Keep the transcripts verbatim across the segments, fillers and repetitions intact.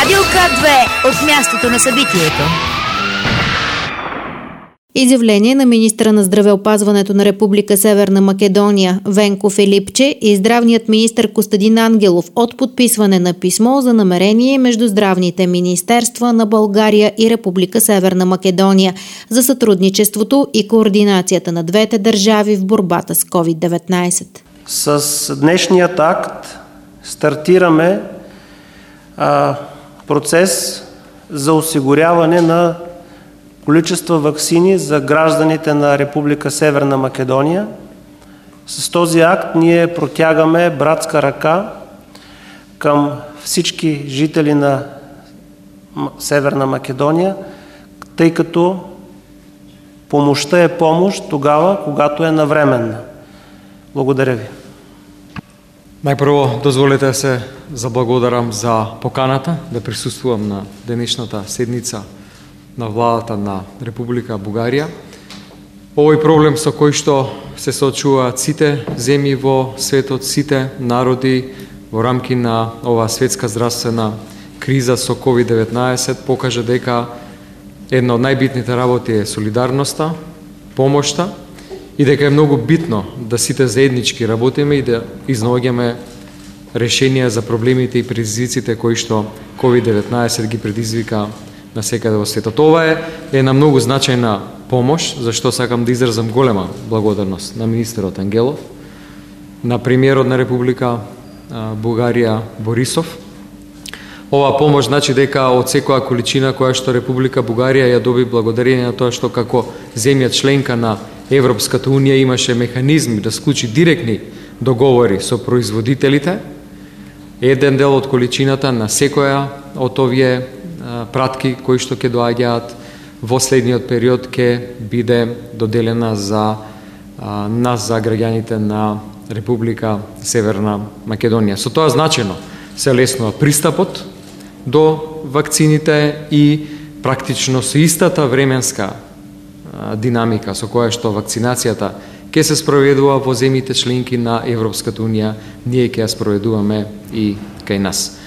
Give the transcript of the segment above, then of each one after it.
Радио К две от мястото на събитието. Изявление на министра на здравеопазването на Република Северна Македония Венко Филипче и здравният министър Костадин Ангелов от подписване на писмо за намерение между здравните министерства на България и Република Северна Македония за сътрудничеството и координацията на двете държави в борбата с ковид деветнайсет. С днешният акт стартираме а, процес за осигуряване на количества ваксини за гражданите на Република Северна Македония. С този акт ние протягаме братска ръка към всички жители на Северна Македония, тъй като помощта е помощ тогава, когато е навременна. Благодаря ви. Најпрво, дозволете се заблагодарам за поканата да присуствувам на денешната седница на владата на Република Бугарија. Овој проблем со кој што се соочуваат сите земји во светот, сите народи во рамки на оваа светска здравствена криза со ковид деветнайсет покажа дека една од најбитните работи е солидарноста, помошта и дека е многу битно да сите заеднички работиме и да изнаоѓаме решенија за проблемите и предизвиците кои што ковид деветнайсет ги предизвика на секаде во светот. Ова е една многу значајна помош, зашто сакам да изразам голема благодарност на министерот Ангелов, на премиерот на Република Бугарија Борисов. Ова помош значи дека од секоја количина која што Република Бугарија ја доби благодарение на тоа што како земја членка на Европската унија имаше механизми да склучи директни договори со производителите, еден дел од количината на секоја од овие пратки кои што ќе доаѓаат во следниот период ќе биде доделена за а, нас, за граѓаните на Република Северна Македонија. Со тоа значено се леснува пристапот до вакцините и практично со истата временска а, динамика со која што вакцинацијата ќе се спроведува во земјите членки на Европската унија, ние ќе ја спроведуваме и кај нас.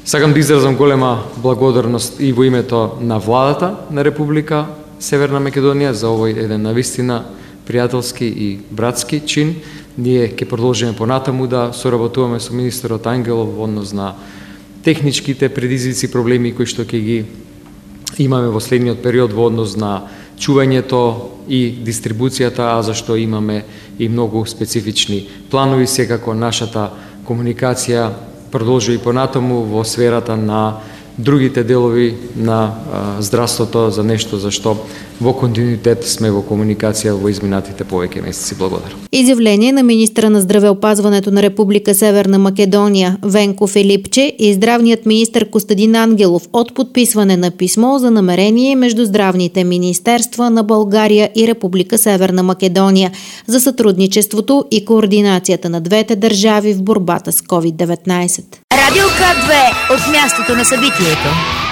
Сакам да изразам голема благодарност и во името на владата на Република Северна Македонија за овој еден навистина пријателски и братски чин. Ние ќе продолжиме понатаму да соработуваме со министерот Ангелов во однос на техничките предизвици и проблеми кои што ќе ги имаме во следниот период во однос на чувањето и дистрибуцијата, а зашто имаме и многу специфични планови. Секако нашата комуникација продолжи и понатаму во сферата на другите делови на а, здравството за нешто за што во континуитет сме во комуникација во изминатите повеќе месеци. Благодарам. Изјавление на министра на здравеопазването на Република Северна Македонија Венко Филипче и здравният министър Костадин Ангелов от подписване на писмо за намерение между здравните министерства на България и Република Северна Македония за сътрудничеството и координацията на двете държави в борбата с ковид деветнайсет. Радио К две от мястото на събитието.